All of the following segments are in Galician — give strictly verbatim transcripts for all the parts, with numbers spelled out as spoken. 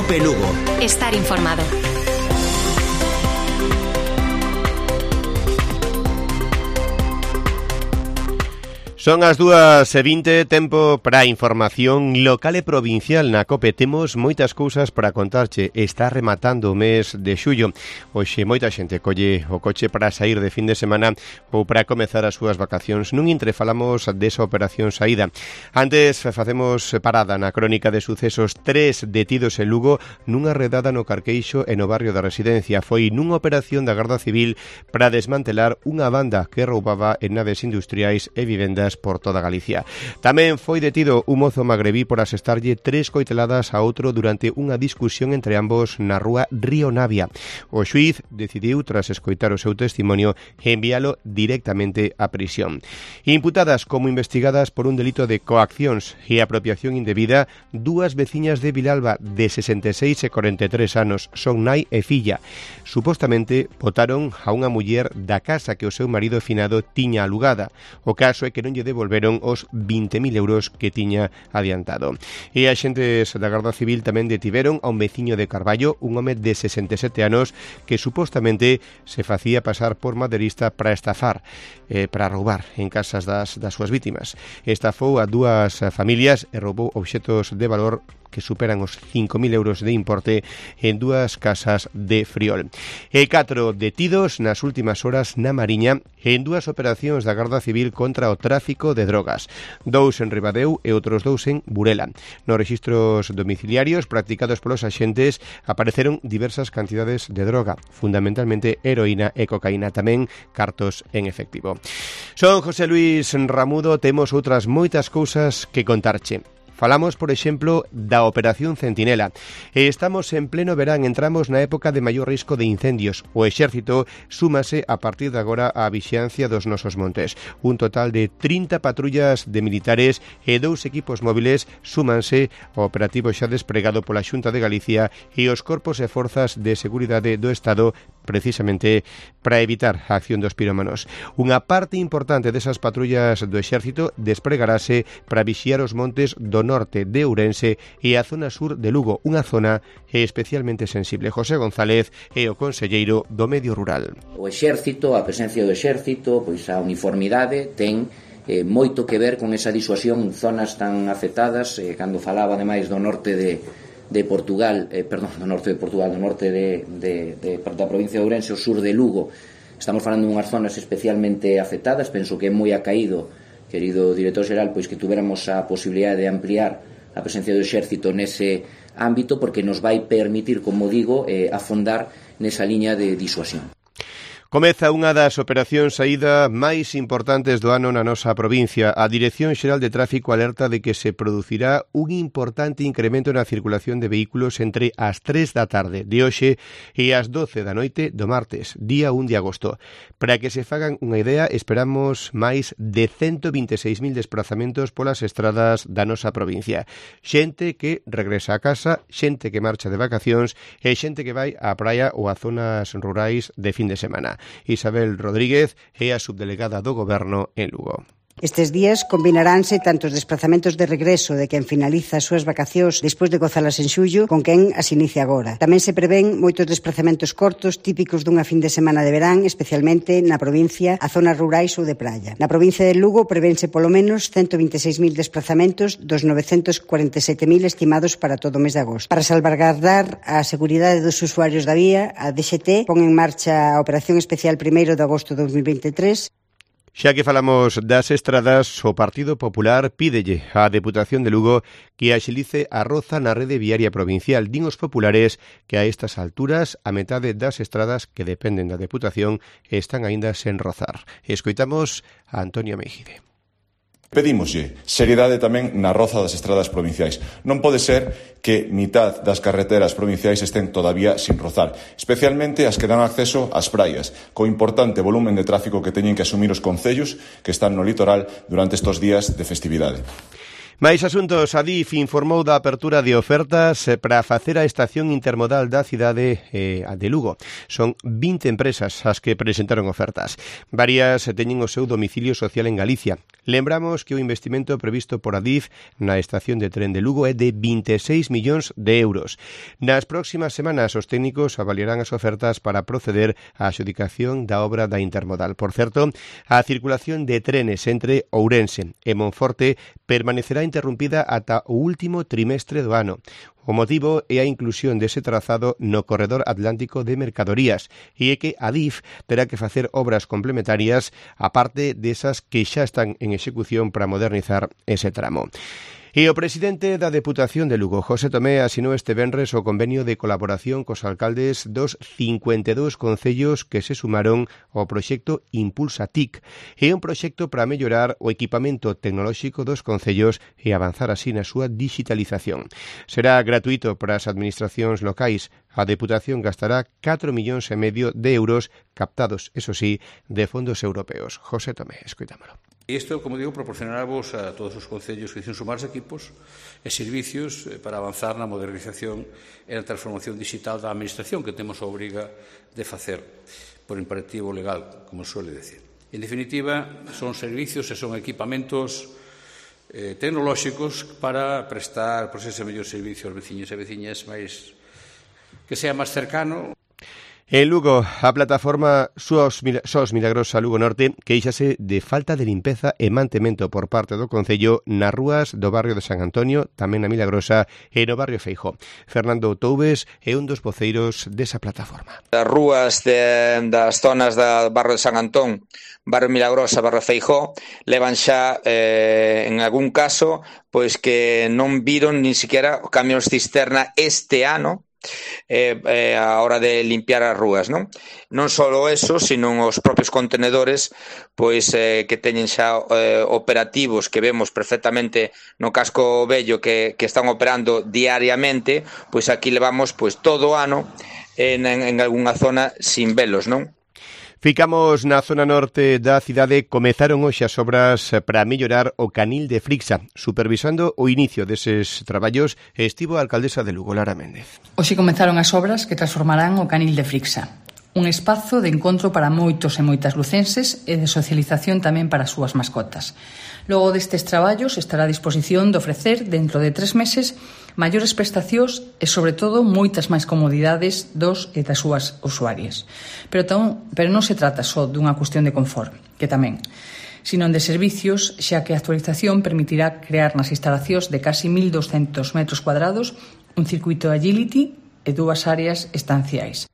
COPE Lugo. Estar informado. Son as dúas e vinte, tempo para a información local e provincial na COPE. Temos moitas cousas para contarche. Está rematando o mes de xullo. Hoxe moita xente colle o coche para sair de fin de semana ou para comezar as súas vacacións. Nun intre falamos desa operación saída. Antes facemos parada na crónica de sucesos. Tres detidos en Lugo nunha redada no Carqueixo e no barrio da Residencia. Foi nunha operación da Garda Civil para desmantelar unha banda que roubaba en naves industriais e vivendas por toda Galicia. Tamén foi detido un mozo magrebí por asestarlle tres coiteladas a outro durante unha discusión entre ambos na rúa Río Navia. O xuíz decidiu, tras escoitar o seu testimonio, enviálo directamente á prisión. Imputadas como investigadas por un delito de coaccións e apropiación indebida, dúas veciñas de Vilalba de sesenta e seis e corenta e tres anos, son nai e filla. Supostamente botaron a unha muller da casa que o seu marido finado tiña alugada. O caso é que non lle devolveron os vinte mil euros que tiña adiantado. E axentes da Garda Civil tamén detiveron a un veciño de Carballo, un home de sesenta e sete anos que supostamente se facía pasar por maderista para estafar, eh, para roubar en casas das, das súas vítimas. Estafou a dúas familias e roubou obxetos de valor que superan os cinco mil euros de importe en dúas casas de Friol. E catro detidos nas últimas horas na Mariña en dúas operacións da Garda Civil contra o tráfico de drogas. Dous en Ribadeu e outros dous en Burela. Nos rexistros domiciliarios practicados polos axentes apareceron diversas cantidades de droga, fundamentalmente heroína e cocaína, tamén cartos en efectivo. Son José Luis Ramudo, temos outras moitas cousas que contarche. Falamos, por exemplo, da Operación Centinela. Estamos en pleno verán, entramos na época de maior risco de incendios. O Exército súmase a partir de agora á vixiancia dos nosos montes. Un total de trinta patrullas de militares e dous equipos móviles súmanse ao operativo xa despregado pola Xunta de Galicia e os corpos e forzas de seguridade do Estado, precisamente para evitar a acción dos pirómanos. Unha parte importante desas patrullas do Exército despregarase para vixiar os montes do norte de Ourense e a zona sur de Lugo, unha zona especialmente sensible. José González é o conselleiro do Medio Rural. O Exército, a presencia do Exército, pois a uniformidade ten eh, moito que ver con esa disuasión en zonas tan afectadas, eh, cando falaba ademais do norte de de Portugal, eh, perdón, do norte de Portugal, do norte de, de, de, da provincia de Ourense, o sur de Lugo. Estamos falando de unhas zonas especialmente afectadas. Penso que é moi acaído, querido director xeral, pois que tuveramos a posibilidade de ampliar a presencia do Exército nese ámbito, porque nos vai permitir, como digo, eh, afondar nesa liña de disuasión. Comeza unha das operacións saída máis importantes do ano na nosa provincia. A Dirección Xeral de Tráfico alerta de que se producirá un importante incremento na circulación de vehículos entre as tres da tarde de hoxe e as doce da noite do martes, día un de agosto. Para que se fagan unha idea, esperamos máis de ciento vinte e seis mil desplazamentos polas estradas da nosa provincia. Xente que regresa a casa, xente que marcha de vacacións e xente que vai á praia ou a zonas rurais de fin de semana. Isabel Rodríguez é a subdelegada do Goberno en Lugo. Estes días combinaránse tanto os desplazamentos de regreso de quen finaliza as súas vacacións despois de gozalas en xullo con quen as inicia agora. Tamén se prevén moitos desplazamentos cortos típicos dunha fin de semana de verán, especialmente na provincia, a zonas rurais ou de praia. Na provincia de Lugo prevense polo menos ciento vinte e seis mil desplazamentos dos novecentos cuarenta e sete mil estimados para todo o mes de agosto. Para salvaguardar a seguridade dos usuarios da vía, a D X T pon en marcha a Operación Especial primeiro de agosto de dos mil vinte e tres. Xa que falamos das estradas, o Partido Popular pídelle á Deputación de Lugo que axilice a roza na rede viaria provincial. Din os populares que a estas alturas a metade das estradas que dependen da Deputación están aínda sen rozar. Escoitamos a Antonio Mejide. Pedímoslle seriedade tamén na roza das estradas provinciais. Non pode ser que mitad das carreteras provinciais estén todavía sin rozar, especialmente as que dan acceso ás praias, co importante volumen de tráfico que teñen que asumir os concellos que están no litoral durante estes días de festividade. Máis asuntos, a D I F informou da apertura de ofertas para facer a estación intermodal da cidade eh, de Lugo. Son vinte empresas as que presentaron ofertas. Varias teñen o seu domicilio social en Galicia. Lembramos que o investimento previsto por a D I F na estación de tren de Lugo é de vinte e seis millóns de euros. Nas próximas semanas os técnicos avaliarán as ofertas para proceder á adxudicación da obra da intermodal. Por certo, a circulación de trenes entre Ourense e Monforte permanecerá interrumpida ata o último trimestre do ano. O motivo é a inclusión dese trazado no corredor atlántico de mercadorías e é que a D I F terá que facer obras complementarias aparte desas que xa están en execución para modernizar ese tramo. E o presidente da Deputación de Lugo, José Tomé, asinou este venres o convenio de colaboración cos alcaldes dos cincuenta e dous concellos que se sumaron ao proxecto Impulsa T I C. É un proxecto para mellorar o equipamento tecnolóxico dos concellos e avanzar así na súa digitalización. Será gratuito para as administracións locais. A Deputación gastará catro millóns e medio de euros captados, eso sí, de fondos europeos. José Tomé, escoitámolo. Isto, como digo, proporcionará vos a todos os concellos que dicen sumarse equipos e servicios para avanzar na modernización e na transformación digital da administración que temos a obriga de facer por imperativo legal, como suele decir. En definitiva, son servicios e son equipamentos eh, tecnolóxicos para prestar por ese mellor servicio aos veciños e veciñas máis que sea máis cercano. En Lugo, a plataforma Sos Milagrosa Lugo Norte queixase de falta de limpeza e mantemento por parte do Concello nas rúas do barrio de San Antonio, tamén na Milagrosa e no barrio Feijó. Fernando Toubes é un dos voceiros desa plataforma. As rúas de, das zonas do barrio de San Antón, barrio Milagrosa, barrio Feijó, levan xa, eh, en algún caso, pois que non viron nin siquiera camións cisterna este ano, Eh, eh, a hora de limpiar as rúas, non? Non só eso, sino os propios contenedores pois eh, que teñen xa eh, operativos que vemos perfectamente no casco vello que, que están operando diariamente, pois aquí levamos pois todo o ano en, en, en algunha zona sin velos, non? Ficamos na zona norte da cidade. Comezaron hoxe as obras para mellorar o canil de Frixa. Supervisando o inicio deses traballos estivo a alcaldesa de Lugo, Lara Méndez. Hoxe comezaron as obras que transformarán o canil de Frixa. Un espazo de encontro para moitos e moitas lucenses e de socialización tamén para as súas mascotas. Logo destes traballos estará a disposición de ofrecer, dentro de tres meses, maiores prestacións e, sobre todo, moitas máis comodidades dos e das súas usuarias. Pero, tan, pero non se trata só dunha cuestión de confort, que tamén, sino de servicios, xa que a actualización permitirá crear nas instalacións de casi mil doscentos metros cuadrados un circuito de agility e dúas áreas estanciais.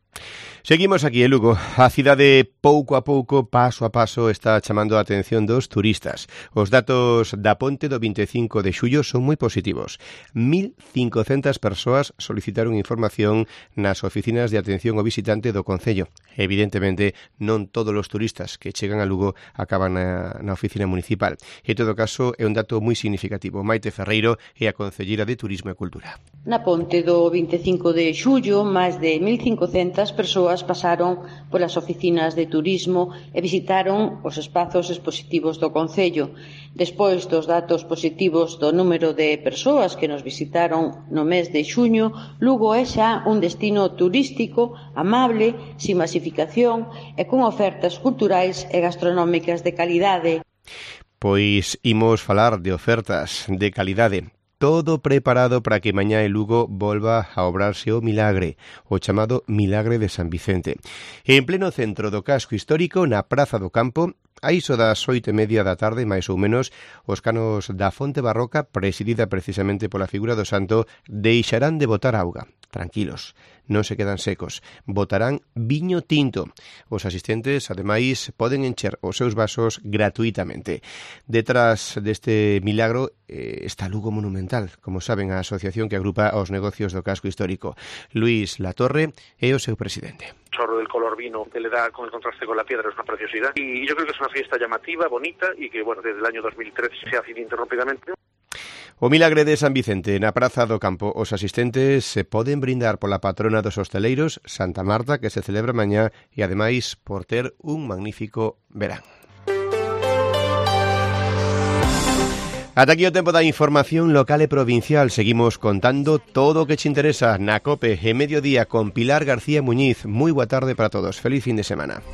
Seguimos aquí en Lugo. A cidade pouco a pouco, paso a paso, está chamando a atención dos turistas. Os datos da ponte do vinte e cinco de xullo son moi positivos. mil cincocentas persoas solicitaron información nas oficinas de atención ao visitante do Concello. Evidentemente, non todos os turistas que chegan a Lugo acaban na, na oficina municipal. En todo caso, é un dato moi significativo. Maite Ferreiro é a Concelleira de Turismo e Cultura. Na ponte do vinte e cinco de xullo, máis de mil cincocentas persoas pasaron polas oficinas de turismo e visitaron os espazos expositivos do Concello. Despois dos datos positivos do número de persoas que nos visitaron no mes de xuño, Lugo é xa un destino turístico, amable, sin masificación e con ofertas culturais e gastronómicas de calidade. Pois imos falar de ofertas de calidade. Todo preparado para que mañá en Lugo volva a obrarse o milagre, o chamado Milagre de San Vicente. En pleno centro do casco histórico, na Praza do Campo, a iso das oito e media da tarde, máis ou menos, os canos da fonte barroca, presidida precisamente pola figura do santo, deixarán de botar auga. Tranquilos, non se quedan secos. Botarán viño tinto. Os asistentes, ademais, poden encher os seus vasos gratuitamente. Detrás deste milagro eh, está Lugo Monumental, como saben, a asociación que agrupa os negocios do casco histórico. Luis Latorre é o seu presidente. Chorro del color vino que le da con el contraste con la piedra es una preciosidad y yo creo que es una fiesta llamativa, bonita y que bueno, desde el año dos mil trece se hace ininterrumpidamente. O Milagre de San Vicente na Praza do Campo. Os asistentes se poden brindar pola patrona dos hosteleiros, Santa Marta, que se celebra mañá, e ademais por ter un magnífico verán. Ata aquí o tempo da información local e provincial. Seguimos contando todo o que che interesa na COPE e Mediodía con Pilar García Muñiz. Moi boa tarde para todos. Feliz fin de semana.